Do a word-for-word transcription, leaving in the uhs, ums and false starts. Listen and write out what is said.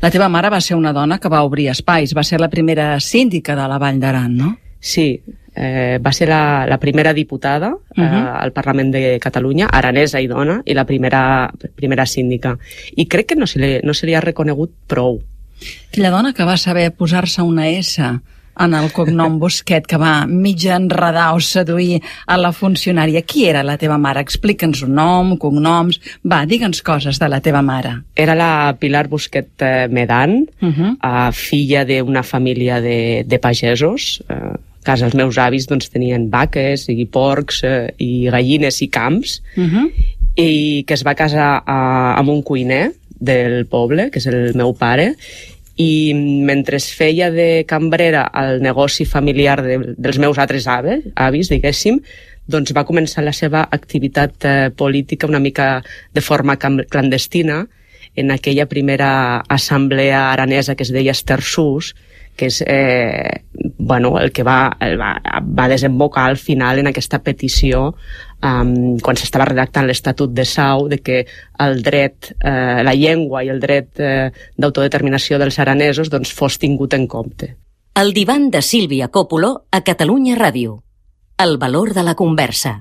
La teva mare va ser una dona que va obrir espais, va ser la primera síndica de la Vall d'Aran, no? Sí, eh, va ser la, la primera diputada eh, uh-huh. al Parlament de Catalunya, aranesa i dona, i la primera, primera síndica. I crec que no se li, no se li ha reconegut prou. Aquella dona que va saber posar-se una S en el cognom Busquet, que va mitja enredar o seduir a la funcionària. Qui era la teva mare? Explica'ns un nom, cognoms... Va, digue'ns coses de la teva mare. Era la Pilar Busquet Medan, uh-huh. uh, filla d'una família de, de pagesos. Uh, a casa els meus avis doncs, tenien vaques i porcs uh, i gallines i camps, uh-huh. i que es va casar uh, amb un cuiner del poble, que és el meu pare, i mentre es feia de cambrera al negoci familiar de, dels meus altres aves, avis, diguéssim, doncs va començar la seva activitat eh, política una mica de forma clandestina en aquella primera assemblea aranesa que es deia Estersús, que és eh, bueno, el que va, el va, va desembocar al final en aquesta petició um, quan s'estava redactant l'Estatut de Sau de que el dret, eh, la llengua i el dret eh, d'autodeterminació dels aranesos doncs, fos tingut en compte. El divan de Sílvia Coppola a Catalunya Ràdio. El valor de la conversa.